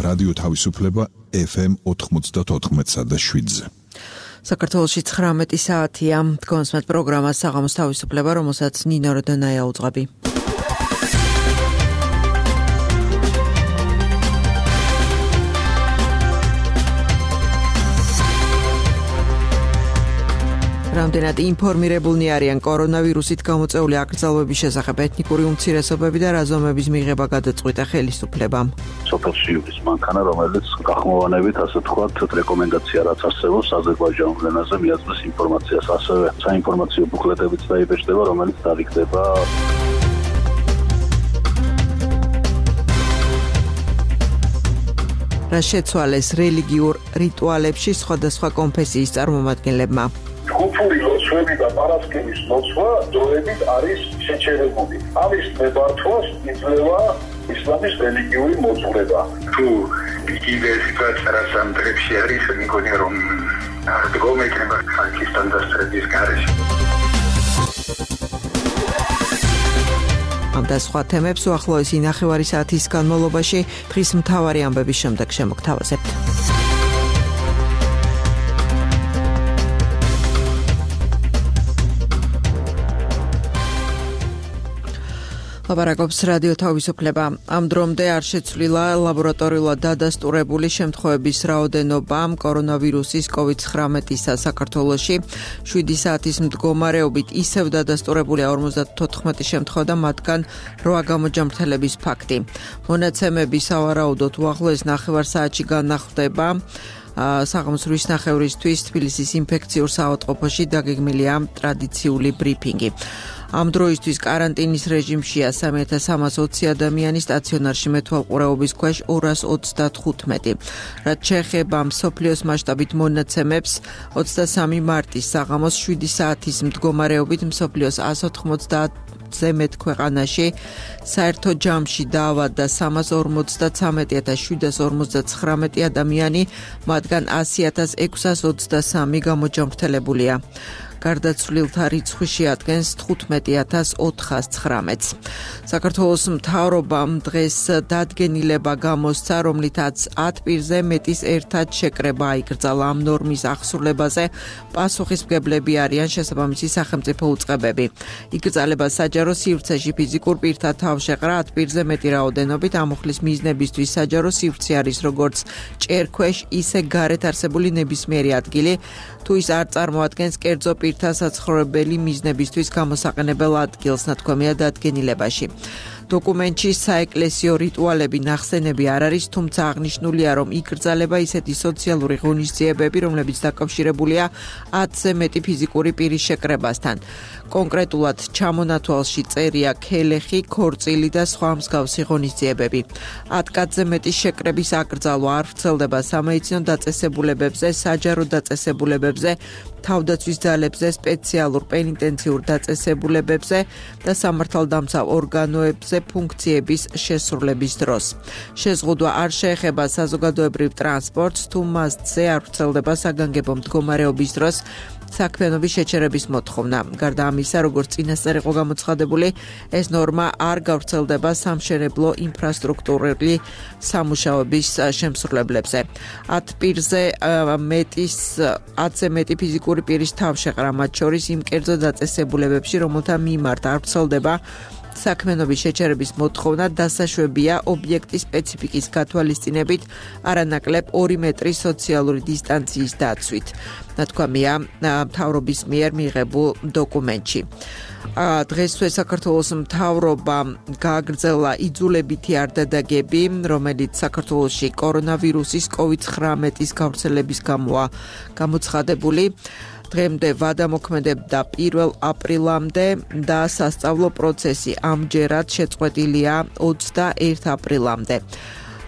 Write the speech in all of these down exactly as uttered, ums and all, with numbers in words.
რადიო თავისუფლება ეფ ემ ოთხმოცდაოთხ და შვიდზე. საქართველოში ცხრამეტი საათია. დგომსმეთ პროგრამას საღამოს თავისუფლება, რომელსაც ნინო როდონაია უძღვები. რამდენად ინფორმირებულნი არიან კორონავირუსით გამოწვეული აკრძალვების შესახებ ეთნიკური უმცირესობები და რაზომების მიღება გადაწყვიტა ხელისუფლებამ. სოფელში ის მანქანა, რომელიც გახმოვანებით, ასე თქვათ, რეკომენდაცია რაც არსებობს აზერბაიჯანულ ენაზე მიაწვდის ინფორმაციას, ასევე საინფორმაციო ბუკლეტებიც დაიბეჭდება, რომელიც დარიგდება. რა შეცვალეს რელიგიურ რიტუალებში სხვადასხვა კონფესიის წარმომადგენლებმა. ჯგუფური ლოცვები და პარასკევის ლოცვა დროებით არის შეჩერებული. ამის მებართვას იძლევა ისლამის რელიგიური მოძღვრება. თუ იგივე სიტუაცია რაც ამ დღეებში არის, მეგონია რომ არ დგომექნება ხალხის დანდასწრების გარეშე. ამ და სხვა თემებს უახლოესი ნახევარი საათის განმავლობაში დღის მთავარი ამბების შემდეგ შემოგთავაზებთ. ლაპარაკობს რადიო თავისუფლება. ამ დრომდე არ შეცვლილა ლაბორატორიულად დადასტურებული შემთხვევების რაოდენობა კორონავირუსის კოვიდ ცხრამეტისა საქართველოში. შვიდი საათის მდგომარეობით ისევ დადასტურებულია ორმოცდათოთხმეტი შემთხვევა და მათგან რვა გამოჯამრთელების ფაქტი. მონაცემები სავარაუდოდ უახლოეს ნახევარ საათში განახლდება. საღამოს რვის ნახევრისთვის თბილისის ინფექციურ საავადმყოფოში დაგეგმილია ტრადიციული ბრიფინგი. ამ დროისთვის კარანტინის რეჟიმშია სამი ათას სამას ოცი ადამიანი, სტაციონარში მეთვალყურეობის ქვეშ ორას ოცდათხუთმეტი. რაც შეეხება მსოფლიოს მასშტაბით მონაცემებს, ოცდასამი მარტის საღამოს შვიდი საათის მდგომარეობით მსოფლიოს ას ოთხმოცდაათზე მეტ ქვეყანაში საერთო ჯამში დაავადდა სამას ორმოცდაცამეტი ათას შვიდას ორმოცდაცხრამეტი ადამიანი, მათგან ასი ათას ექვსას ოცდასამი გამოჯამრთელებულია. გარდაცვლილთა რიცხვი შეადგენს თხუთმეტი ათას ოთხასცხრამეტს. საქართველოს მთავრობამ დღეს დადგენილება გამოსცა, რომლითაც ათ პირზე მეტის ერთად შეკრება აიკრძალა. ამ ნორმის აღსრულებაზე პასუხისმგებლები არიან შესაბამისი სახელმწიფო უწყებები. იკრძალება საჯარო სივრცეში ფიზიკურ პირთა თავშეყრა ათ პირზე მეტი რაოდენობით ამოხლის მიზნებისთვის საჯარო სივრცე არის როგორც ჭერქვეშ, ისე გარეთ არსებული ნებისმიერი ადგილი, თუ ის არ წარმოადგენს კერძო პირთა საცხოვრებელი მიზნებისთვის გამოსაყენებელ ადგილს, ნათქვამია დადგენილებაში. დოკუმენტში საეკლესიო რიტუალები ნახსენები არ არის, თუმცა აღნიშნულია, რომ იკრძალება ისეთი სოციალური ღონისძიებები, რომლებიც დაკავშირებულია ათზე მეტი ფიზიკური პირის შეკრებასთან. კონკრეტულად ჩამონათვალში წერია ქელეხი, ქორწილი და სხვა მსგავსი ღონისძიებები. ათ კაცზე მეტის შეკრების აკრძალვა არ ვრცელდება სამედიცინო დაწესებულებებზე, საჯარო დაწესებულებებზე, თავდაცვის ძალებზე, სპეციალურ პენიტენციურ დაწესებულებებზე და სამართალდამცავ ორგანოებზე ფუნქციების შესრულების დროს. შეზღუდვა არ შეეხება საზოგადოებრივ ტრანსპორტს, თუ მასზე არ ვრცელდება საგანგებო მდგომარეობის დროს საქმიანობის შეჩერების მოთხოვნა. გარდა ამისა, როგორც წინასწარ იყო გამოცხადებული, ეს ნორმა არ გავრცელდება სამშენებლო ინფრასტრუქტურული სამუშაოების შემსრულებლებზე. ათ პირზე მეტის ათზე მეტი ფიზიკური პირის თავშეყრა, მათ შორის იმ კერძო დაწესებულებებში, რომელთა მიმართ არ ვრცელდება საქმიანობის შეჩერების მოთხოვნა, დასაშვებია ობიექტის სპეციფიკის გათვალისწინებით არანაკლებ ორი მეტრის სოციალური დისტანციის დაცვით. ნათქვამია მთავრობის მიერ მიღებულ დოკუმენტში. დღესვე საქართველოს მთავრობა გააგრძელა იძულებითი არდადაგები, რომელიც საქართველოში კორონავირუსის კოვიდ ცხრამეტის გავრცელების გამოა გამოცხადებული. დღემდე ვადამოქმედებდა პირველ აპრილამდე და სასწავლო პროცესი ამჯერად შეწყვეტილია ოცდაერთი აპრილამდე.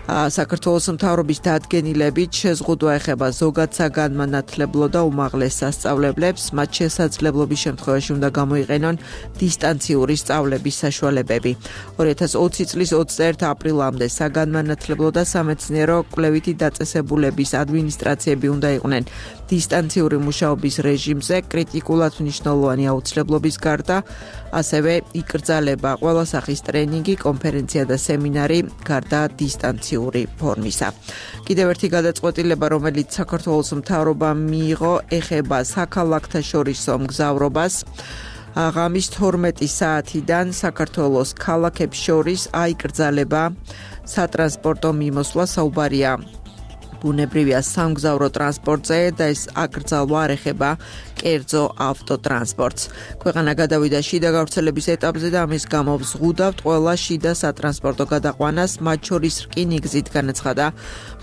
საქართველოს მთავრობის დადგენილებით შეზღუდვა ეხება ზოგად საგანმანათლებლო და უმაღლეს სასწავლებლებს, მათ შესაძლებლობის შემთხვევაში უნდა გამოიყენონ დისტანციური სწავლების საშუალებები. ორი ათას ოცი წლის ოცდაერთი აპრილამდე საგანმანათლებლო და სამეცნიერო კვლევითი დაწესებულების ადმინისტრაციები უნდა იყვნენ დისტანციური მუშაობის რეჟიმზე, კრიტიკულად მნიშვნელოვანი აუცილებლობის გარდა, ასევე იკრძალება ყველა სახის ტრენინგი, კონფერენცია და სემინარი გარდა დისტანციური ფორმისა. კიდევ ერთი გადაწყვეტილება, რომელიც საქართველოს მთავრობამ მიიღო, ეხება საქალაქთა შორისო მგზავრობას. ღამის თორმეტი საათიდან საქართველოს ქალაქებს შორის აიკრძალება სატრანსპორტო მიმოსვლა, საუბარია ბუნებრივია სამგზავრო ტრანსპორტზე და ეს აკრძალვა არ ეხება კერძო ავტოტრანსპორტს. ქვეყანა გადავიდა შიდა გავრცელების ეტაპზე და ამის გამო ვზღუდავთ ყველა შიდა სატრანსპორტო გადაყვანას, მათ შორის რკინიგზით, განაცხადა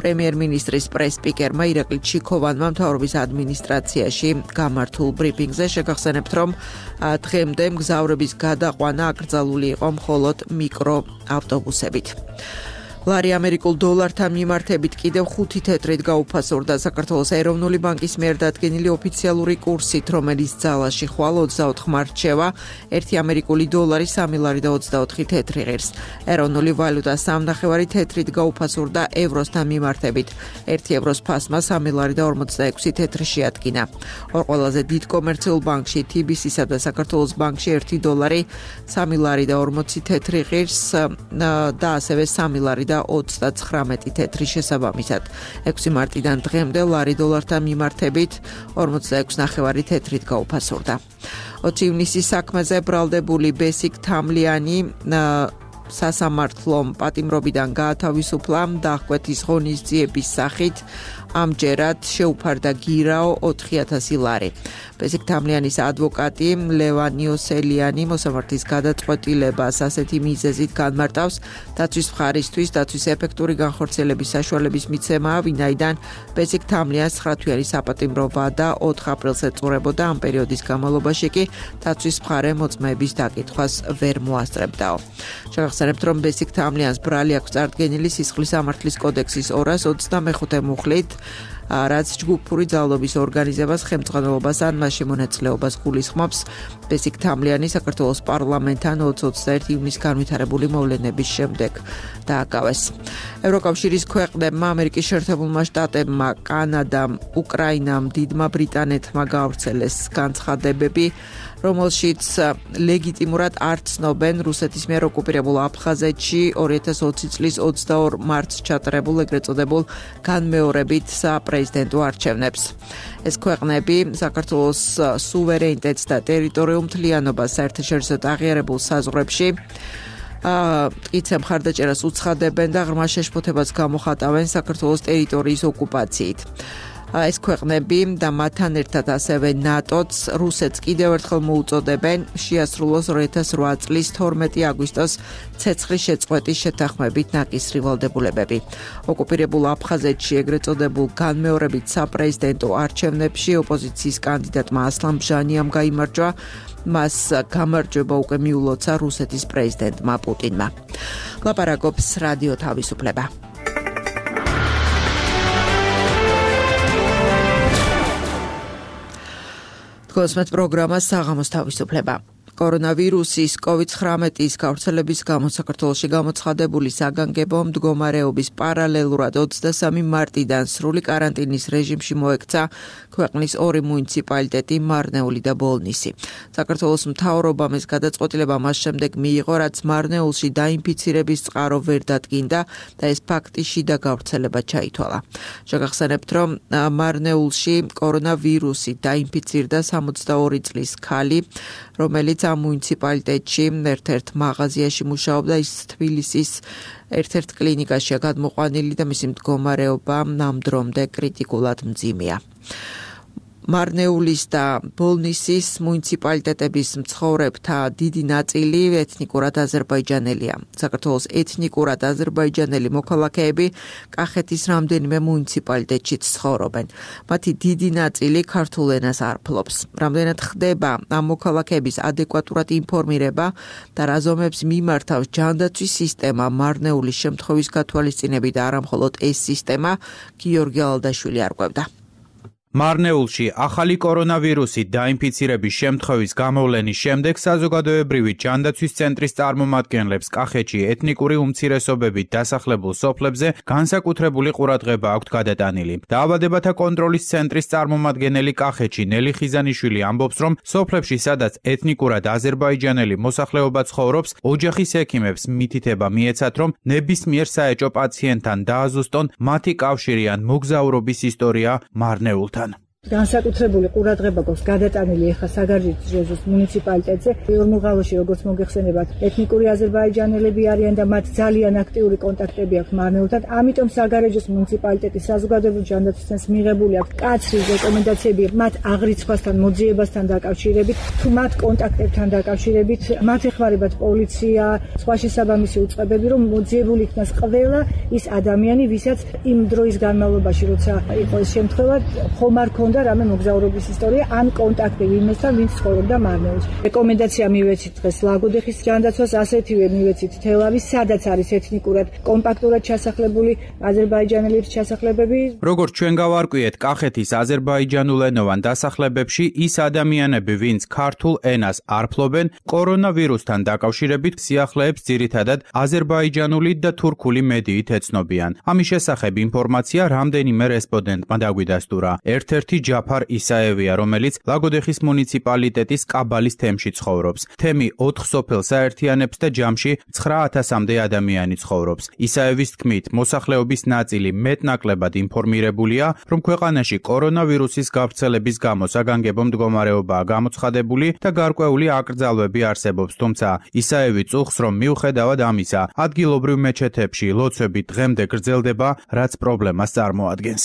პრემიერ-მინისტრის პრეს-სპიკერმა ირაკლი ჩიქოვანმა მთავრობის ადმინისტრაციაში გამართულ ბრიფინგზე. შეგახსენებთ, რომ დღემდე მგზავრების გადაყვანა აკრძალული იყო მხოლოდ მიკროავტობუსებით. ლარი ამერიკულ დოლართან მიმართებით კიდევ ხუთი თეთრით გაუფასურდა საქართველოს ეროვნული ბანკის მიერ დადგენილი ოფიციალური კურსით, რომელიც ძალაში ხვალ ოცდაოთხ მარტს შევა, ერთი ამერიკული დოლარი სამი ლარი და ოცდაოთხი თეთრი ღირს. ეროვნული ვალუტა სამნახევარი თეთრით გაუფასურდა ევროსთან მიმართებით. ერთი ევროს ფასმა სამი ლარი და ორმოცდაექვსი თეთრი შეადგინა. ორ ყველაზე დიდ კომერციულ ბანკში თი ბი სისა და საქართველოს ბანკში ერთი დოლარი სამი ლარი და ორმოცი თეთრი ღირს და ასევე სამი ლარი და ოცდაცხრამეტი თეთრი შესაბამისად. ექვსი მარტიდან დღემდე ლარი დოლართან მიმართებით ორმოცდაექვსი ნახევარი თეთრით გაუფასურდა. ოცი ივნისის საქმეზე ბრალდებული ბესიკ თამლიანი სასამართლო პატიმრობიდან გაათავისუფლა დახვეთის ღონისძიების სახით ამჯერად შეუფარდა გირაო ოთხი ათასი ლარი. ბესიკ თამლიანის ადვოკატი ლევან იოსელიანი მოსამართლის გადაწყვეტილებას ასეთი მიზეზით განმარტავს დაცვის მხარისთვის დაცვის ეფექტური განხორციელების საშუალების მიცემაა, ვინაიდან ბესიკ თამლიანს ცხრათვიანი საპატიმრო ვადა ოთხ აპრილს ეწურებოდა, ამ პერიოდის განმავლობაში კი დაცვის მხარე მოწმეების დაკითხვას ვერ მოასწრებდაო. შევახსენებთ, რომ ბესიკ თამლიანს ბრალი აქვს წარდგენილი სისხლის სამართლის კოდექსის ორას ოცდამეხუთე მუხლით, რაც ჯგუფური ძალადობის ორგანიზებას, ხელმძღვანელობას ან მასში მონაწილეობას გულისხმობს. ბესიკ თამლიანი საქართველოს პარლამენტთან ოცი ოცდაერთი ივნის განვითარებული მოვლენების შემდეგ დააკავეს. ევროკავშირის ქვეყნებმა, ამერიკის შეერთებულმა შტატებმა, კანადამ, უკრაინამ, დიდმა ბრიტანეთმა გაავრცელეს განცხადებები, რომელშიც ლეგიტიმურად არ ცნობენ რუსეთის მიერ ოკუპირებულ აფხაზეთში ორი ათას ოცი წლის ოცდაორ მარტს ჩატარებულ ეგრეთ წოდებულ განმეორებით საპრეზიდენტო არჩევნებს. ეს ქვეყნები საქართველოს სუვერენიტეტს და ტერიტორიულ მთლიანობას საერთაშორისოდ აღიარებულ საზღვრებში მტკიცე მხარდაჭერას უცხადებენ და ღრმა შეშფოთებას გამოხატავენ საქართველოს ტერიტორიის ოკუპაციით. ეს ქვეყნები და მათთან ერთად ასევე ნატოც რუსეთს კიდევ ერთხელ მოუწოდებენ შეასრულოს ორი ათას რვა წლის თორმეტი აგვისტოს ცეცხლის შეწყვეტის შეთანხმებით ნაკისრი ვალდებულებები. ოკუპირებულ აფხაზეთში ეგრეთ წოდებულ განმეორებით საპრეზიდენტო არჩევნებში ოპოზიციის კანდიდატმა ასლან ბჟანიამ გაიმარჯვა, მას გამარჯვება უკვე მიულოცა რუსეთის პრეზიდენტმა პუტინმა. ლაპარაკობს რადიო თავისუფლება. კოსმეთ პროგრამა საღამოს თავისუფლება. კორონავირუსის კოვიდ ცხრამეტის გავრცელების გამო საქართველოში გამოცხადებული საგანგებო მდგომარეობის პარალელურად ოცდასამი მარტიდან სრული კარანტინის რეჟიმში მოექცა ქვეყნის ორი მუნიციპალიტეტი მარნეული და ბოლნისი. საქართველოს მთავრობამ ეს გადაწყვეტილება მას შემდეგ მიიღო, რაც მარნეულში დაინფიცირების წყარო ვერ დადგინდა და ეს ფაქტი შიდა გავრცელება ჩაითვალა. შეგახსენებთ, რომ მარნეულში კორონავირუსი დაინფიცირდა სამოცდაორი წლის ქალი, რომელიც ამ მუნიციპალიტეტში ერთ-ერთ მაღაზიაში მუშაობდა, ის თბილისის ერთ-ერთ კლინიკაშია გადმოყვანილი და მისი მდგომარეობა ნამდვილად კრიტიკულად მძიმეა. მარნეულის და ბოლნისის მუნიციპალიტეტების მცხოვრებთა დიდი ნაწილი ეთნიკურად აზერბაიჯანელია. საქართველოს ეთნიკურად აზერბაიჯანელი მოქალაქეები კახეთის რამდენიმე მუნიციპალიტეტში ცხოვრობენ. მათი დიდი ნაწილი ქართულ ენას არ ფლობს. რამდენად ხდება ამ მოქალაქეების ადეკვატურად ინფორმირება და რა ზომებს მიმართავს ჯანდაცვის სისტემა მარნეულის შემთხვევის გათვალისწინებით და არა მხოლოდ ეს სისტემა, გიორგი ალდაშვილი არკვევდა. მარნეულში ახალი კორონავირუსით დაინფიცირების შემთხვევის გამოვლენის შემდეგ საზოგადოებრივი ჯანდაცვის ცენტრის წარმომადგენლებს კახეთში ეთნიკური უმცირესობებით დასახლებულ სოფლებზე განსაკუთრებული ყურადღება აქვთ გადატანილი. დაავადებათა კონტროლის ცენტრის წარმომადგენელი კახეთში ნელი ხიზანიშვილი ამბობს, რომ სოფლებში, სადაც ეთნიკურად აზერბაიჯანელი მოსახლეობა ცხოვრობს, ოჯახის ექიმებს მითითება მიეცათ, რომ ნებისმიერ საეჭო პაციენტთან დააზუსტონ მათი კავშირი ან მოგზაურობის ისტორია მარნეულთან. განსაკუთრებული ყურადღება გვაქვს გადატანილი ახლა საგარეჯოს მუნიციპალიტეტზე. ორმოღალოში როგორც მოგეხსენებათ, ეთნიკური აზერბაიჯანელები არიან და მათ ძალიან აქტიური კონტაქტები აქვს მარნეულთან. ამიტომ საგარეჯოს მუნიციპალიტეტის საზოგადოებრივი ჯანდაცვის ცენტრს მიღებული აქვს კაცრი რეკომენდაციები მათ აღრიცხვასთან, მოძიებასთან დაკავშირებით, თუ მათ კონტაქტებთან დაკავშირებით, მათ ეხმარებათ პოლიცია, სხვა შესაბამისი უწყებები, რომ მოძიებული იქნას ყველა ის ადამიანი, ვისაც იმ დროის განმავლობაში, როცა იყო ეს შემთხვევა, ხომ არ ქონდა რამე მოგზაურობის ისტორია ან კონტაქტი ვინმესთან, ვინც ცხოვრობდა მარნეულში. რეკომენდაცია მივეცით დღეს ლაგოდეხის ჯანდაცვას, ასეთივე მივეცით თელავის, სადაც არის ეთნიკურად კომპაქტურად ჩასახლებული აზერბაიჯანელების ჩასახლებები. როგორც ჩვენ გავარკვიეთ, კახეთის აზერბაიჯანულენოვან დასახლებებში ის ადამიანები, ვინც ქართულ ენას არ ფლობენ, კორონავირუსთან დაკავშირებით სიახლეებს ძირითადად აზერბაიჯანული და თურქული მედიით ეცნობიან. ამის შესახებ ინფორმაცია რამდენიმე რესპონდენტმა დაგვიდასტურა. ერთ-ერთი ჯაფარ ისაევია, რომელიც ლაგოდეხის მუნიციპალიტეტის კაბალის თემში ცხოვრობს. თემი ოთხ სოფელს აერთიანებს და ჯამში ცხრა ათასამდე ადამიანი ცხოვრობს. ისაევის თქმით, მოსახლეობის ნაწილი მეტნაკლებად ინფორმირებულია, რომ ქვეყანაში კორონავირუსის გავრცელების გამო საგანგებო მდგომარეობაა გამოცხადებული და გარკვეული აკრძალვები არსებობს, თუმცა ისაევი წუხს, რომ მიუხედავად ამისა, ადგილობრივ მეჩეთებში ლოცვები დღემდე გრძელდება, რაც პრობლემას წარმოადგენს.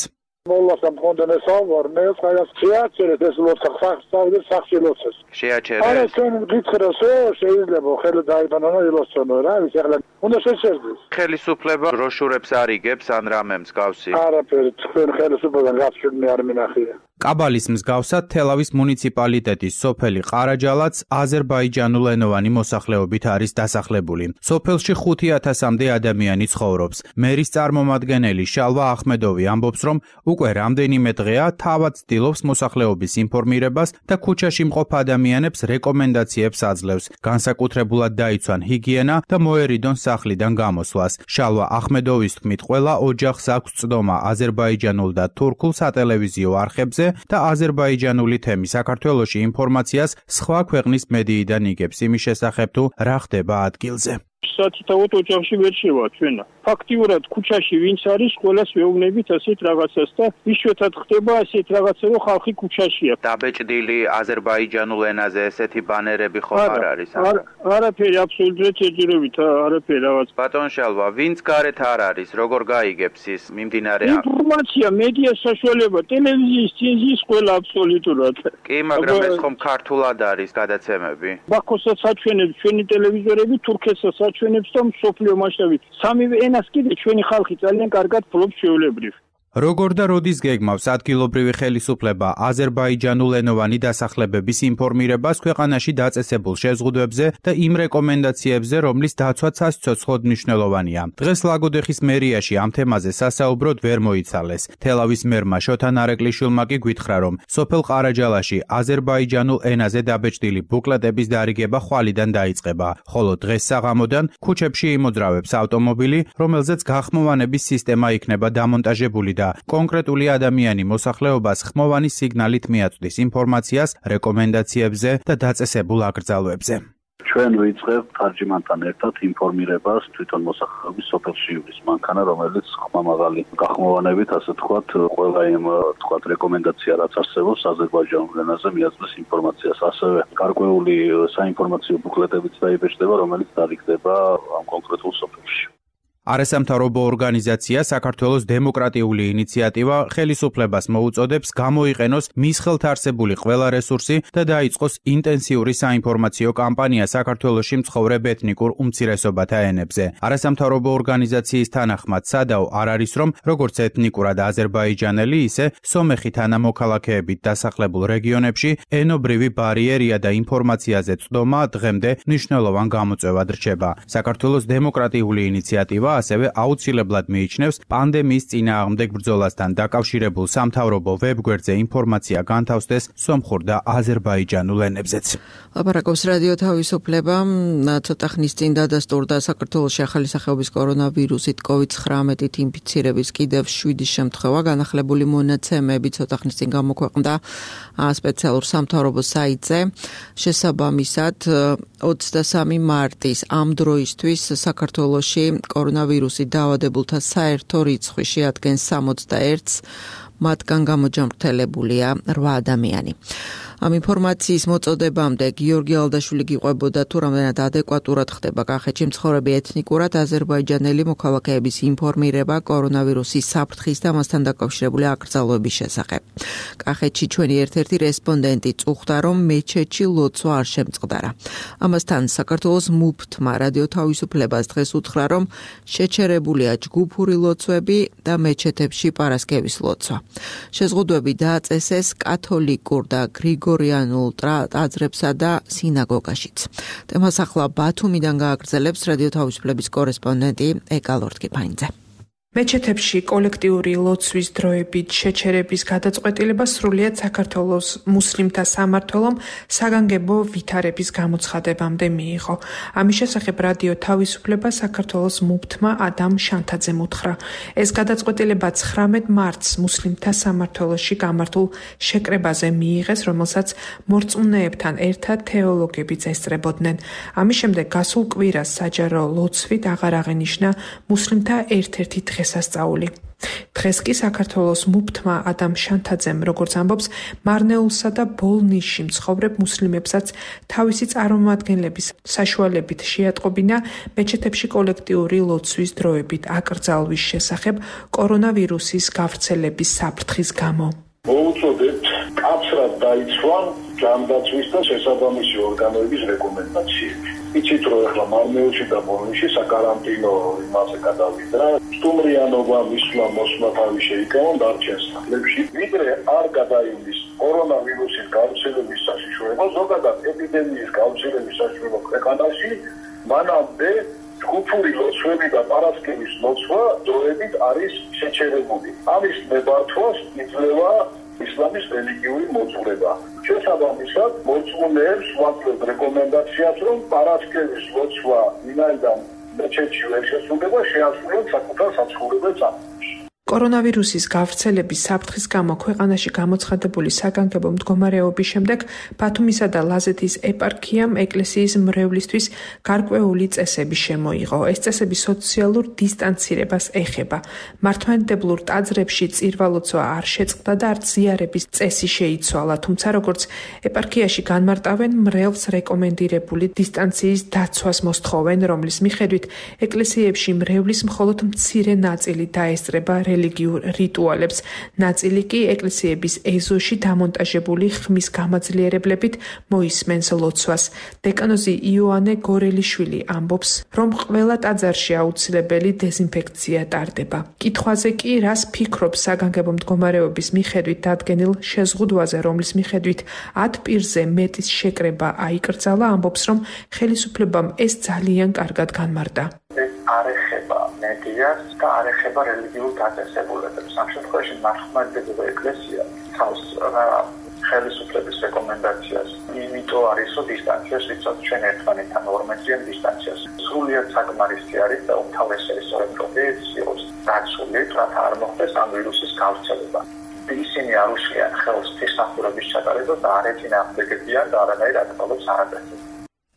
მოლას ამქონდენ საუბარნე, ხაიას შეაჩერეთ ეს ლოცა სახსავდეს სახში ლოცეს. შეაჩერეთ. არა, ჩვენ გითხრასო, შეიძლება ხელა დაიბანანო ილოცონო რა, ის ახლა უნდა შეჩერდეს. ხელისუფლება ბროშურებს არიგებს ან რამე მსგავსი. არაფერი, თქვენ ხელისუფლებიდან გასწრებული არ მინახია. კაბალის მსგავსად თელავის მუნიციპალიტეტის სოფელი ყარაჯალაც აზერბაიჯანულენოვანი მოსახლეობით არის დასახლებული. სოფელში ხუთი ათასამდე ადამიანი ცხოვრობს. მერის წარმომადგენელი შალვა ახმედოვი ამბობს, რომ უკვე რამდენიმე დღეა თავად ცდილობს მოსახლეობის ინფორმირებას და ქუჩაში მყოფ ადამიანებს რეკომენდაციებს აძლევს. განსაკუთრებულად დაიცვან ჰიგიენა და მოერიდონ სახლიდან გამოსვლას. შალვა ახმედოვის თქმით, ყველა ოჯახს აქვს წდომა აზერბაიჯანულ და თურქულ სატელევიზიო არხებზე და აზერბაიჯანული თემი საქართველოში ინფორმაციას სხვა ქვეყნის მედიიდან იგებს იმის შესახებ, თუ რა ხდება ადგილზე. სათითაოდ ოჯახში ვერ შევა ჩვენა. ფაქტიურად ქუჩაში ვინც არის, ყველას ვეუბნებით ასეთ რაღაცას და იშვიათად ხდება ასეთ რაღაცა, რომ ხალხი ქუჩაშია. დაბეჭდილი აზერბაიჯანულ ენაზე ესეთი ბანერები ხომ არ არის? არაფერი, აბსოლუტურად შეჯერებით, არაფერი რაღაც. ბატონ შალვა, ვინც გარეთ არ არის, როგორ გაიგებს ის მიმდინარე ინფორმაცია, მედია საშუალება, ტელევიზიის წინზის ყველა აბსოლუტურად. კი, მაგრამ ეს ხომ ქართულად არის გადაცემები? ბაქოსაც აჩვენებს ჩვენი ტელევიზორები, თურქეთსაც აჩვენებს და მსოფლიო მასშტაბით. სამივე ენას კიდე ჩვენი ხალხი ძალიან კარგად ფლობს ჩვეულებრივ. როგორ და როდის გეგმავს ადგილობრივი ხელისუფლება აზერბაიჯანულენოვანი დასახლებების ინფორმირებას ქვეყანაში დაწესებულ შეზღუდვებზე და იმ რეკომენდაციებზე, რომლის დაცვაც საცოცხლოდ მნიშვნელოვანია. დღეს ლაგოდეხის მერიაში ამ თემაზე სასაუბროდ ვერ მოიცალეს. თელავის მერმა შოთა ნარეკლიშვილმა კი გვითხრა, რომ სოფელ ყარაჯალაში აზერბაიჯანულ ენაზე დაბეჭდილი ბუკლეტების დარიგება ხვალიდან დაიწყება, ხოლო დღეს საღამოდან ქუჩებში იმოძრავებს ავტომობილი, რომელზეც გახმოვანების სისტემა იქნება დამონტაჟებული და კონკრეტული ადამიანი მოსახლეობას ხმოვანი სიგნალით მიაწვდის ინფორმაციას რეკომენდაციებზე და დაწესებულ აკრძალვებზე. ჩვენ ვიწყებთ თარჯიმანთან ერთად ინფორმირებას თვითონ მოსახლეობის სოფელში ივრის მანქანა, რომელიც ხმამაღალი გახმოვანებით, ასე თქვათ, ყველა იმ თქვათ რეკომენდაცია, რაც არსებობს აზერბაიჯანულ ენაზე მიაწვდის ინფორმაციას. ასევე გარკვეული საინფორმაციო ბუკლეტებიც დაიბეჭდება, რომელიც დარიგდება ამ კონკრეტულ სოფელში. არასამთავრობო ორგანიზაცია საქართველოს დემოკრატიული ინიციატივა ხელისუფლებას მოუწოდებს გამოიყენოს მის ხელთ არსებული ყველა რესურსი და დაიწყოს ინტენსიური საინფორმაციო კამპანია საქართველოში მცხოვრებ ეთნიკურ უმცირესობათა ენებზე. არასამთავრობო ორგანიზაციის თანახმად სადაო არ არის, რომ როგორც ეთნიკურად აზერბაიჯანელი, ისე სომეხი თანამოქალაქეებით დასახლებულ რეგიონებში ენობრივი ბარიერია და ინფორმაციაზე წდომა დღემდე მნიშვნელოვან გამოწვევად რჩება. საქართველოს დემოკრატიული ინიციატივა ასევე აუცილებლად მიიჩნევს პანდემიის წინააღმდეგ ბრძოლასთან დაკავშირებულ სამთავრობო ვებგვერდზე ინფორმაცია განთავსდეს სომხურ და აზერბაიჯანულ ენებზეც. ლაპარაკობს რადიო თავისუფლება. ცოტა ხნის წინ დადასტურდა საქართველოში ახალი სახეობის კორონავირუსით კოვიდ ცხრამეტით ინფიცირების კიდევ შვიდი შემთხვევა. განახლებული მონაცემები ცოტა ხნის წინ გამოქვეყნდა სპეციალურ სამთავრობო საიტზე. შესაბამისად, ოცდასამი მარტის ამ დროისთვის საქართველოში კორონავირუსით დაავადებულთა საერთო რიცხვი შეადგენს სამოცდაერთს, მათგან გამოჯამრთელებულია რვა ადამიანი. ამ ინფორმაციის მოწოდებამდე გიორგი ალდაშვილი გიყვებოდა თუ რამდენად ადეკვატურად ხდება კახეთში მცხოვრები ეთნიკურად აზერბაიჯანელი მოქალაქეების ინფორმირება კორონავირუსის საფრთხის და მასთან დაკავშირებული აკრძალვების შესახებ. კახეთში ჩვენი ერთ-ერთი რესპონდენტი წუხდა, რომ მეჩეთში ლოცვა არ შემწყდარა. ამასთან საქართველოს მუფთმა რადიო თავისუფლებას დღეს უთხრა, რომ შეჩერებულია ჯგუფური ლოცვები და მეჩეთებში პარასკევის ლოცვა. შეზღუდვები დააწესეს კათოლიკურ და გრიგორიანულ ტაძრებსა და სინაგოგაშიც. თემას ახლა ბათუმიდან გააგრძელებს რადიო თავისუფლების კორესპონდენტი ეკალორტკიფაინძე. მეჩეთებში კოლექტიური ლოცვის დროებით შეჩერების გადაწყვეტილება სრულიად საქართველოს მუსლიმთა სამმართველომ საგანგებო ვითარების გამოცხადებამდე მიიღო. ამის შესახებ რადიო თავისუფლება საქართველოს მუფთმა ადამ შანთაძემ უთხრა. ეს გადაწყვეტილება ცხრამეტ მარტს მუსლიმთა სამმართველოში გამართულ შეკრებაზე მიიღეს, რომელსაც მორწმუნეებთან ერთად თეოლოგებიც ესწრებოდნენ. ამის შემდეგ გასულ კვირას საჯარო ლოცვით აღარ აღენიშნა მუსლიმთა ერთ-ერთი დღესასწაული. დღეს კი საქართველოს მუფთმა ადამ შანთაძემ, როგორც ამბობს, მარნეულსა და ბოლნიშში მცხოვრებ მუსლიმებსაც თავისი წარმომადგენლების საშუალებით შეატყობინა მეჩეთებში კოლექტიური ლოცვის დროებით აკრძალვის შესახებ კორონავირუსის გავრცელების საფრთხის გამო. მოუწოდებთ კაცრად დაიცვან ჯანდაცვის და შესაბამისი ორგანოების რეკომენდაციები. იცით, რომ ახლა მარნეულში და ბოლნიშში საკარანტინო იმაზე გადავიდრა, სტუმრიანობა მისვლა მოსვლა თავი შეიკავონ დარჩენს სახლებში, ვიდრე არ გადაივლის კორონავირუსის გავრცელების საშიშროება, ზოგადად ეპიდემიის გავრცელების საშიშროება ქვეყანაში, მანამდე ჯგუფური ლოცვები და პარასკევის ლოცვა დროებით არის შეჩერებული. ამის ნებართვას იძლევა ისლამის რელიგიური მოძღვრება. შესაბამისად, მოწმუნეებს ვაკლებთ რეკომენდაციას, რომ პარასკევის ლოცვა ვინაიდან მეჩეთში ვერ შესრულდება, შეასრულონ საკუთარ საცხოვრებელ სახლებში. კორონავირუსის გავრცელების საფრთხის გამო ქვეყანაში გამოცხადებული საგანგებო მდგომარეობის შემდეგ ბათუმისა და ლაზეთის ეპარქიამ ეკლესიის მრევლისთვის გარკვეული წესები შემოიღო. ეს წესები სოციალურ დისტანცირებას ეხება. მართლმადიდებლურ ტაძრებში წირვალოცვა არ შეწყდა და არც ზიარების წესი შეიცვალა, თუმცა როგორც ეპარქიაში განმარტავენ, მრევლს რეკომენდირებული დისტანციის დაცვას მოსთხოვენ, რომლის მიხედვით ეკლესიებში მრევლის მხოლოდ მცირე ნაწილი დაესწრება რელიგიურ რიტუალებს. ნაწილი კი ეკლესიების ეზოში დამონტაჟებული ხმის გამაძლიერებლებით მოისმენს ლოცვას. დეკანოზი იოანე გორელიშვილი ამბობს, რომ ყველა ტაძარში აუცილებელი დეზინფექცია ტარდება. კითხვაზე კი რას ფიქრობს საგანგებო მდგომარეობის მიხედვით დადგენილ შეზღუდვაზე, რომლის მიხედვით ათ პირზე მეტის შეკრება აიკრძალა, ამბობს, რომ ხელისუფლებამ ეს ძალიან კარგად განმარტა. არ ეხება მედიას და არ ეხება რელიგიურ დაწესებულებებს. ამ შემთხვევაში მართლმადიდებლური ეკლესია თავს ხელისუფლების რეკომენდაციას იმიტომ არის, რომ დისტანციას ვიცავთ ჩვენ ერთმანეთთან ორმეტრიან დისტანციას. სრულიად საკმარისი არის და უმთავრესად სწორედ ეს იყოს დაცული, რათა არ მოხდეს ამ ვირუსის გავრცელება. ისინი არ უშლიან ხელს თესახურების ჩატარებას და არ ეწინააღმდეგებიან და არანაირ აკრძალვებს არ აწესებენ.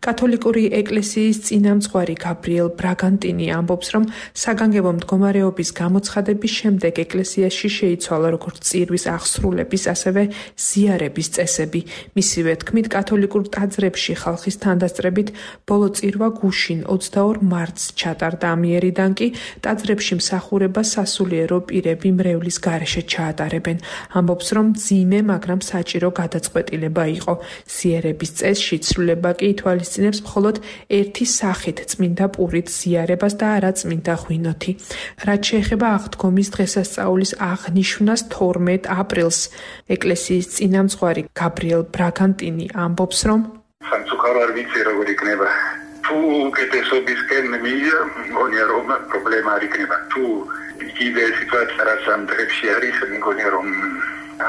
კათოლიკური ეკლესიის წინამძღვარი გაბრიელ ბრაგანტინი ამბობს, რომ საგანგებო მდგომარეობის გამოცხადების შემდეგ ეკლესიაში შეიცვალა როგორც წირვის აღსრულების, ასევე ზიარების წესები. მისივე თქმით, კათოლიკურ ტაძრებში ხალხის თანდასწრებით ბოლო წირვა გუშინ ოცდაორ მარტს ჩატარდა. ამიერიდან კი ტაძრებში მსახურება სასულიერო პირები მრევლის გარეშე ჩაატარებენ. ამბობს, რომ ძიმე, მაგრამ საჭირო გადაწყვეტილება იყო. ზიარების წესში ცვლილება კი ითვალის წინებს მხოლოდ ერთი სახით წმინდა პურით ზიარებას და არა წმინდა ღვინოთი. რაც შეეხება აღდგომის დღესასწაულის აღნიშვნას თორმეტ აპრილს, ეკლესიის წინამძღვარი გაბრიელ ბრაგანტინი ამბობს, რომ სამწუხარო არ ვიცი როგორ იქნება თუ კეთესობისკენ მია მგონია რომ პრობლემა არ იქნება თუ იგივე სიტუაცია რაც ამ დღეებში არის მგონია რომ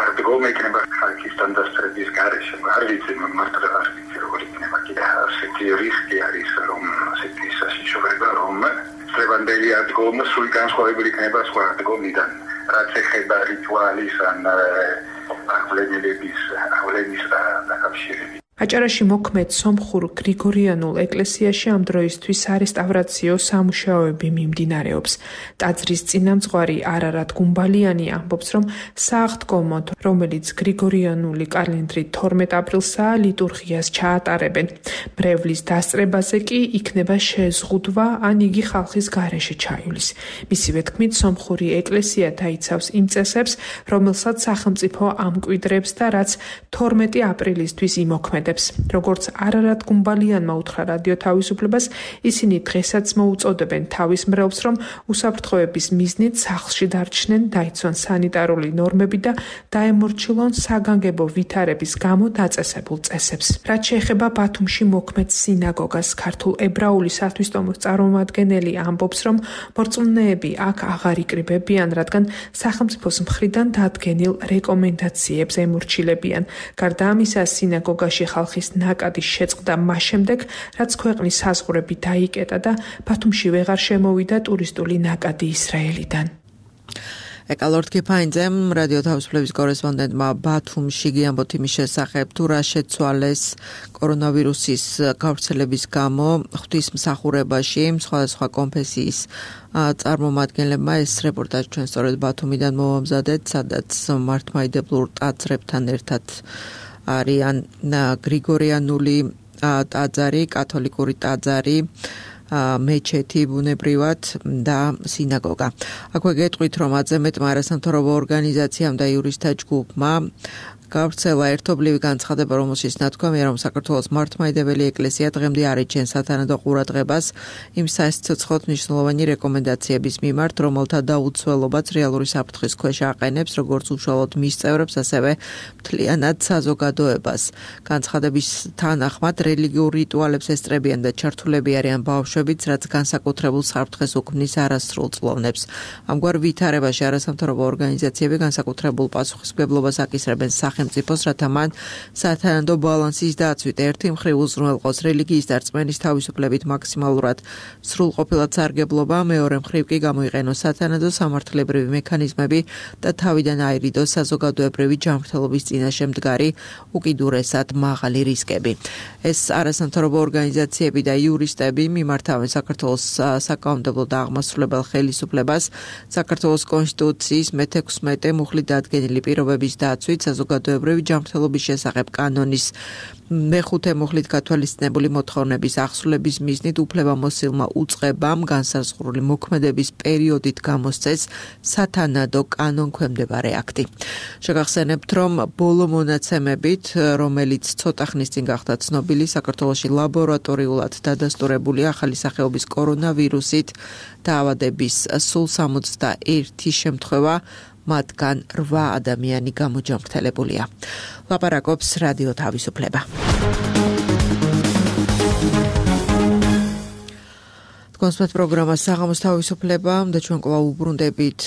არ დგომექნება ხალხის სტანდარტების გარეშე არ ვიცი მართლა არ ვიცი როგორ იქნება კიდე ასეთი რისკი არის რომ ასეთი საშიშროება რომ სევანდელი ადგომა სულ განსხვავებული იქნება სხვა ადგომიდან რაც ეხება რიტუალის ან აღვლენილების აღვლენის დაკავშირებით აჭარაში მოქმედ სომხურ გრიგორიანულ ეკლესიაში ამ დროისთვის არესტავრაციო სამუშაოები მიმდინარეობს. ტაძრის წინამძღვარი არარატ გუმბალიანი ამბობს, რომ სააღდგომოდ, რომელიც გრიგორიანული კალენდრით თორმეტ აპრილსაა, ლიტურგიას ჩაატარებენ. მრევლის დასწრებაზე კი იქნება შეზღუდვა, ან იგი ხალხის გარეშე ჩაივლის. მისივე თქმით, სომხური ეკლესია დაიცავს იმ წესებს, რომელსაც სახელმწიფო ამკვიდრებს და რაც თორმეტი აპრილისთვის იმოქმედებს. როგორც არარატ გუმბალიანმა უთხრა რადიო თავისუფლებას, ისინი დღესაც მოუწოდებენ თავის მრევლს, რომ უსაფრთხოების მიზნით სახლში დარჩნენ, დაიცვან სანიტარული ნორმები და დაემორჩილონ საგანგებო ვითარების გამო დაწესებულ წესებს. რაც შეეხება ბათუმში მოქმედ სინაგოგას, ქართულ ებრაული სათვისტომოს წარმომადგენელი ამბობს, რომ მორწმუნეები აქ აღარ იკრიბებიან, რადგან სახელმწიფოს მხრიდან დადგენილ რეკომენდაციებს ემორჩილებიან. გარდა ამისა, სინაგოგაში ხალხის ნაკადი შეწყდა მას შემდეგ, რაც ქვეყნის საზღვრები დაიკეტა და ბათუმში ვეღარ შემოვიდა ტურისტული ნაკადი ისრაელიდან. ეკალორდ კიფაინძემ რადიო თავისუფლების კორესპონდენტმა ბათუმში გიამბოთ იმის შესახებ, თუ რა შეცვალეს კორონავირუსის გავრცელების გამო ღვთისმსახურებაში სხვადასხვა კონფესიის წარმომადგენლებმა. ეს რეპორტაჟი ჩვენ სწორედ ბათუმიდან მოვამზადეთ, სადაც მართლმადიდებლურ ტაძრებთან ერთად არიან გრიგორიანული ტაძარი, კათოლიკური ტაძარი, მეჩეთი ბუნებრივად და სინაგოგა. აქვე გეტყვით, რომ ათზე მეტმა არასამთავრობო ორგანიზაციამ და იურისტთა ჯგუფმა გავრცელა ერთობლივი განცხადება, რომელშიც ნათქვამია, რომ საქართველოს მართლმადიდებელი ეკლესია დღემდე არ ეჩენს სათანადო ყურადღებას იმ სასიცოცხლოდ მნიშვნელოვანი რეკომენდაციების მიმართ, რომელთა დაუცველობაც რეალური საფრთხის ქვეშ აყენებს როგორც უშუალოდ მის წევრებს, ასევე მთლიანად საზოგადოებას. განცხადების თანახმად რელიგიურ რიტუალებს ესწრებიან და ჩართულები არიან ბავშვებიც, რაც განსაკუთრებულ საფრთხეს უქმნის არასრულ წლოვნებს. ამგვარ ვითარებაში არასამთავრობო ორგანიზაციები განსაკუთრებულ პასუხისმგებლობას აკისრებენ სახელმწიფოს, რათა მან სათანადო ბალანსის დაცვით ერთი მხრივ უზრუნველყოს რელიგიის და რწმენის თავისუფლებით მაქსიმალურად სრულყოფილად სარგებლობა, მეორე მხრივ კი გამოიყენოს სათანადო სამართლებრივი მექანიზმები და თავიდან აირიდოს საზოგადოებრივი ჯანმრთელობის წინაშე მდგარი უკიდურესად მაღალი რისკები. ეს არასამთავრობო ორგანიზაციები და იურისტები მიმართავენ საქართველოს საკანონმდებლო და აღმასრულებელ ხელისუფლებას საქართველოს კონსტიტუციის მეთექვსმეტე მუხლით დადგენილი პირობების დაცვით საზოგადოებრივი ჯანმრთელობის შესახებ კანონის მეხუთე მუხლით გათვალისწინებული მოთხოვნების ახსნების მიზნით უფლებამოსილმა უწყებამ განსაზღვრული მოქმედების პერიოდით გამოსცეს სათანადო კანონქვემდებარე აქტი. შეგახსენებთ, რომ ბოლო მონაცემებით, რომელიც ცოტა ხნის წინ გახდა ცნობილი, საქართველოში ლაბორატორიულად დადასტურებული ახალი სახეობის კორონავირუსით დაავადების სულ სამოცდაერთი შემთხვევა, მათგან რვა ადამიანი გამოჯანმრთელებულია. ლაპარაკობს რადიო თავისუფლება. კონსპект პროგრამა საღამოს თავისუფლება და ჩვენ კვლავ უბრუნდებით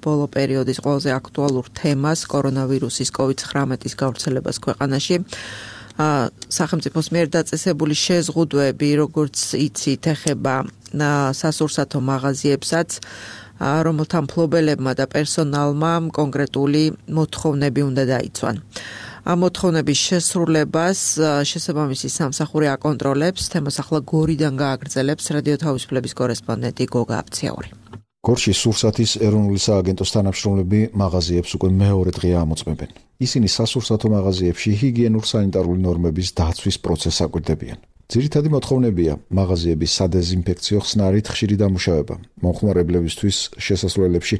ბოლო პერიოდის ყველაზე აქტუალურ თემას, კორონავირუსის კოვიდ ცხრამეტის გავრცელებას ქვეყანაში. სახელმწიფოს მიერ დაწესებული შეზღუდვები, როგორც იცით, ეხება სასურსათო მაღაზიებსაც, რომელთა მფლობელებმა და პერსონალმა კონკრეტული მოთხოვნები უნდა დაიცვან. ამ მოთხოვნების შესრულებას შესაბამისი სამსახური აკონტროლებს, თემას ახლა გორიდან გააგრძელებს რადიო თავისუფლების კორესპონდენტი გოგა აფციური. გორში სურსათის ეროვნული სააგენტოს თანამშრომლები მაღაზიებს უკვე მეორე დღეა ამოწმებენ. ისინი სასურსათო მაღაზიებში ჰიგიენურ სანიტარული ნორმების დაცვის პროცესს აკვირდებიან. ძირითადი მოთხოვნებია მაღაზიების სადეზინფექციო ხსნარით ხშირი დამუშავება, მომხმარებლებისთვის შესასვლელებში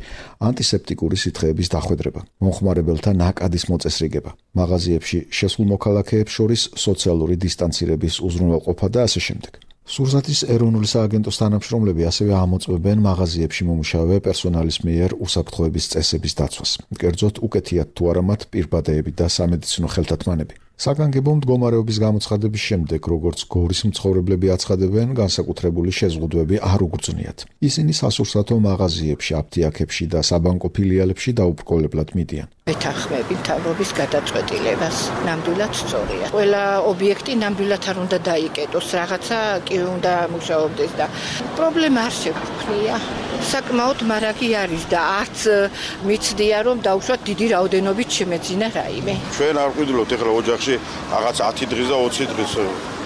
ანტისეპტიკური სითხეების დახვედრება, მომხმარებელთა ნაკადის მოწესრიგება, მაღაზიებში შესულ მოქალაქეებს შორის სოციალური დისტანცირების უზრუნველყოფა და ასე შემდეგ. სურსათის ეროვნული სააგენტოს თანამშრომლები ასევე ამოწმებენ მაღაზიებში მომუშავე პერსონალის მიერ უსაფრთხოების წესების დაცვას. კერძოდ, უკეთიათ თუ არა მათ პირბადეები და სამედიცინო ხელთათმანები. საგანგებო მდგომარეობის გამოცხადების შემდეგ, როგორც გორის მცხოვრებლები აცხადებენ, განსაკუთრებული შეზღუდვები არ უგრძნიათ. ისინი სასურსათო მაღაზიებში, აფთიაქებში და საბანკო ფილიალებში დაუბრკოლებლად მიდიან. მეთანხმები მთავრობის გადაწყვეტილებას. ნამდვილად სწორია. ყველა ობიექტი ნამდვილად არ უნდა დაიკეტოს, რაღაცა კი უნდა მუშაობდეს და პრობლემა არ შეგვიძლია. საკმაოდ მარაგი არის და არც მიცდია რომ დავუშვათ დიდი რაოდენობით შემეძინა რაიმე. ჩვენ არ ვყიდულობთ ეხლა ოჯახში რაღაც ათი დღის და ოცი დღის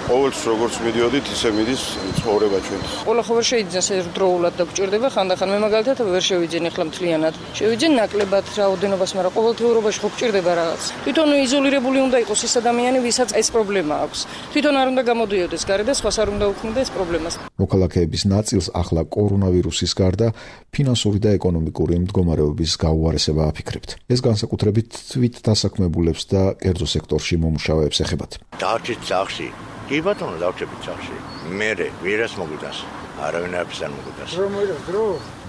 ყოველთვის როგორც მიდიოდით, ისე მიდის ცხოვრება ჩვენთვის. ყველა ხო ვერ შეიძლება ერთდროულად და გვჭირდება ხანდახან. მე მაგალითად ვერ შევიძენ ეხლა მთლიანად. შევიძენ ნაკლებად რაოდენობას, მაგრამ ყოველთვიურობაში ხო გვჭირდება რაღაც. თვითონ იზოლირებული უნდა იყოს ის ადამიანი, ვისაც ეს პრობლემა აქვს. თვითონ არ უნდა გამოდიოდეს გარე და სხვას არ უნდა უქმნიდა ეს პრობლემას. მოქალაქეების ნაწილს ახლა კორონავირუსის გარდა ფინანსური და ეკონომიკური მდგომარეობის გაუარესება აფიქრებთ. ეს განსაკუთრებით თვით დასაქმებულებს და კერძო სექტორში მომუშავეებს ეხებათ. დავრჩით სახში. კი ბატონო, დავრჩებით სახში. მერე ვერას მოგვიტანს. არავინ არაფერს არ მოგვიტანს.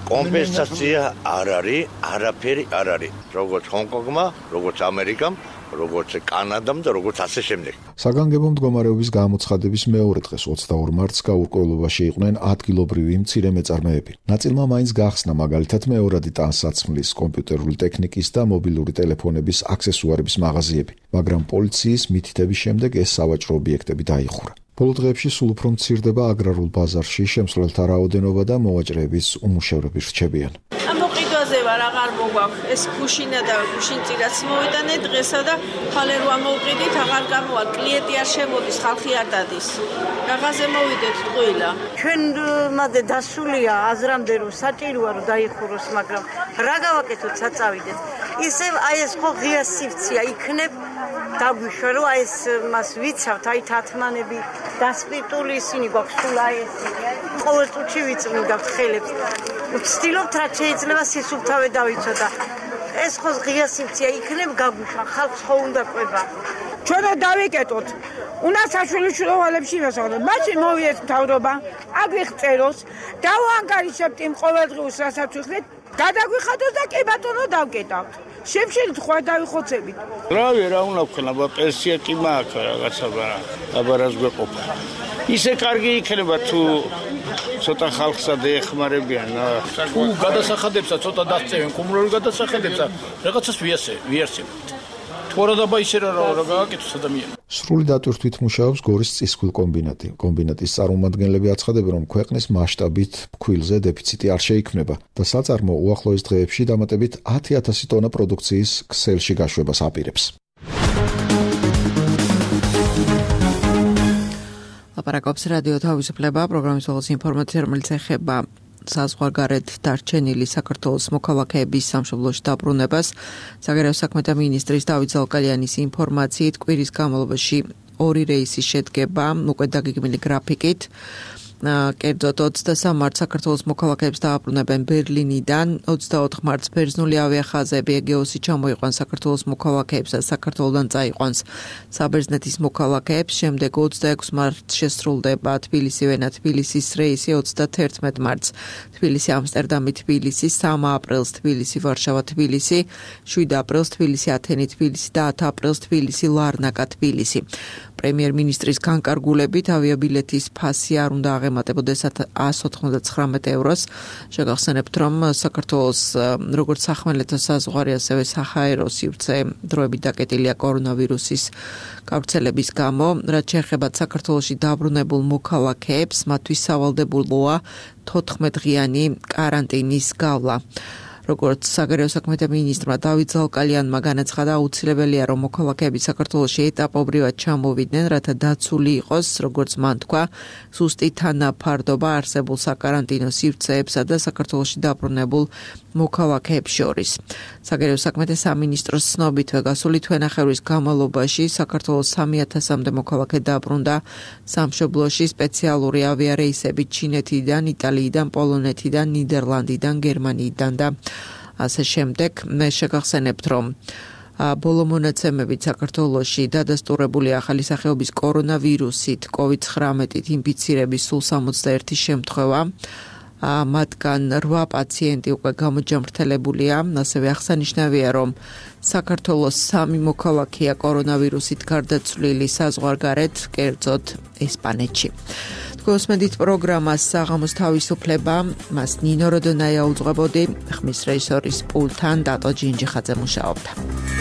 კომპენსაცია არ არის, არაფერი არ არის. როგორც ჰონკონგმა, როგორც ამერიკამ, როგორც კანადამ და როგორც ასე შემდეგ. საგანგებო მდგომარეობის გამოცხადების მეორე დღეს ოცდაორ მარტს გაურკვევლობაში იყვნენ ადგილობრივი მცირე მეწარმეები. ნაწილმა მაინც გახსნა მაგალითად მეორადი ტანსაცმლის, კომპიუტერული ტექნიკის და მობილური ტელეფონების აქსესუარების მაღაზიები, მაგრამ პოლიციის მითითების შემდეგ ეს სავაჭრო ობიექტები დაიხურა. ბოლო დღეებში სულ უფრო მცირდება აგრარულ ბაზარში შემსვლელთა რაოდენობა და მოვაჭრეების უმუშევრები რჩებიან. ამოყიდვაზე ვარ, აღარ მოგვაქვს ეს ქუშინა და ქუშინწირაც მოვიტანე დღესა და ხალე რო ამოვყიდით, აღარ გამოვა, კლიენტი არ შემოდის, ხალხი არ დადის. რაღაცე მოვიდეთ ტყუილა. ჩვენ მადე დასულია აზრამდე რომ საჭიროა რომ დაიხუროს, მაგრამ რა გავაკეთოთ საწავიდეთ. ისე აი ეს ხო ღია სივრცეა იქნებ დაგვიშვა რომ აი ეს მას ვიცავთ, აი თათმანები დასპირტული ისინი გვაქვს სულ აი ეს ყოველ წუთში ვიწმინდავთ ხელებს. ვცდილობთ რაც შეიძლება სისუფთავე დავიცოდა. ეს ხო ღია სივრცეა იქნებ გაგვიშვა, ხალხს ხო უნდა ყვება. ჩვენ დავიკეტოთ. უნდა საშვილიშვილოვალებში ვასწავლოთ. მაშინ მოვიდეს მთავრობა, აგვიღწეროს, დავაანგარიშებთ იმ ყოველდღიურს, რასაც ვიხდით, გადაგვიხადოს და კი ბატონო დავკეტავთ. შემშილით ხوار დავიხოცებით. რავი რა უნდა ვქნა, პენსია კი მაქვს რაღაცა აბარას გვეყოფა. ისე კარგი იქნება თუ ცოტა ხალხსა დაეხმარებიან. თუ გადასახადებსა ცოტა დასწევენ, კომუნალური გადასახადებსა რაღაცას ვიასე, ვიარსებთ. თორა დაბა ისე რა რა გააკეთოს ადამიანი. სრული დატვირთვით მუშაობს გორის წისქვილ კომბინატი. კომბინატის წარმომადგენლები აცხადებენ, რომ ქვეყნის მასშტაბით ფქვილზე დეფიციტი არ შეიქმნება და საწარმო უახლოეს დღეებში დამატებით ათი ათასი ტონა პროდუქციის ქსელში გაშვებას აპირებს. ლაპარაკობს რადიო თავისუფლება, პროგრამის ბოლოს ინფორმაცია, რომელიც ეხება საზღვარგარეთ დარჩენილი საქართველოს მოქალაქეების სამშობლოში დაბრუნებას. საგარეო საქმეთა მინისტრის დავით ზალკალიანის ინფორმაციით, კვირის განმავლობაში ორი რეისი შედგება უკვე დაგეგმილი გრაფიკით. კერძოდ ოცდასამ მარტს საქართველოს მოქალაქეებს დააბრუნებენ ბერლინიდან, ოცდაოთხ მარტს ბერძნული ავიახაზები ეგეოსი ჩამოიყვანს საქართველოს მოქალაქეებს და საქართველოდან წაიყვანს საბერძნეთის მოქალაქეებს. შემდეგ ოცდაექვსი მარტს შესრულდება თბილისი-ვენა თბილისის რეისი, ოცდათერთმეტ მარტს თბილისი ამსტერდამი თბილისი, სამი აპრილს თბილისი ვარშავა თბილისი, შვიდი აპრილს თბილისი ათენი თბილისი და ათი აპრილს თბილისი ლარნაკა თბილისი. პრემიერ-მინისტრის განკარგულებით ავიაბილეთის ფასი არ უნდა აღემატებოდეს ათს ოცდათვრამეტ ევროს. შეგახსენებთ, რომ საქართველოს როგორც სახმელეთო საზღვარი, ასევე საჰაერო სივრცე დროებით დაკეტილია კორონავირუსის გავრცელების გამო. რაც შეეხება საქართველოში დაბრუნებულ მოქალაქეებს, მათთვის სავალდებულოა თოთხმეტ დღიანი კარანტინის გავლა. როგორც საგარეო საქმეთა მინისტრმა დავით ზალკალიანმა განაცხადა, აუცილებელია რომ მოქალაქეები საქართველოში ეტაპობრივად ჩამოვიდნენ, რათა დაცული იყოს, როგორც მან თქვა, ზუსტი თანაფარდობა არსებულ საკარანტინო სივრცეებსა და საქართველოში დაბრუნებულ მოქალაქეებს შორის. საგარეო საქმეთა სამინისტროს ცნობითვე გასული თვენახევრის განმავლობაში საქართველოს სამი ათასამდე მოქალაქე დაბრუნდა სამშობლოში სპეციალური ავიარეისებით ჩინეთიდან, იტალიიდან, პოლონეთიდან, ნიდერლანდიდან, გერმანიიდან და ასე შემდეგ. მე შეგახსენებთ, რომ ბოლო მონაცემებით საქართველოში დადასტურებული ახალი სახეობის კორონავირუსით კოვიდ ცხრამეტით ინფიცირების სულ სამოცდაერთი შემთხვევა მათგან რვა პაციენტი უკვე გამოჯამრთელებულია. ასევე აღსანიშნავია, რომ საქართველოს სამი მოქალაქეა კორონავირუსით გარდაცვლილი საზღვარგარეთ, კერძოდ ესპანეთში. გოსმედით პროგრამას საღამოს თავისუფლება, მას ნინო როდონაია უძღვებოდი, ხმის რეჟისორის პულტთან დატო ჯინჯიხაძე მუშაობდა.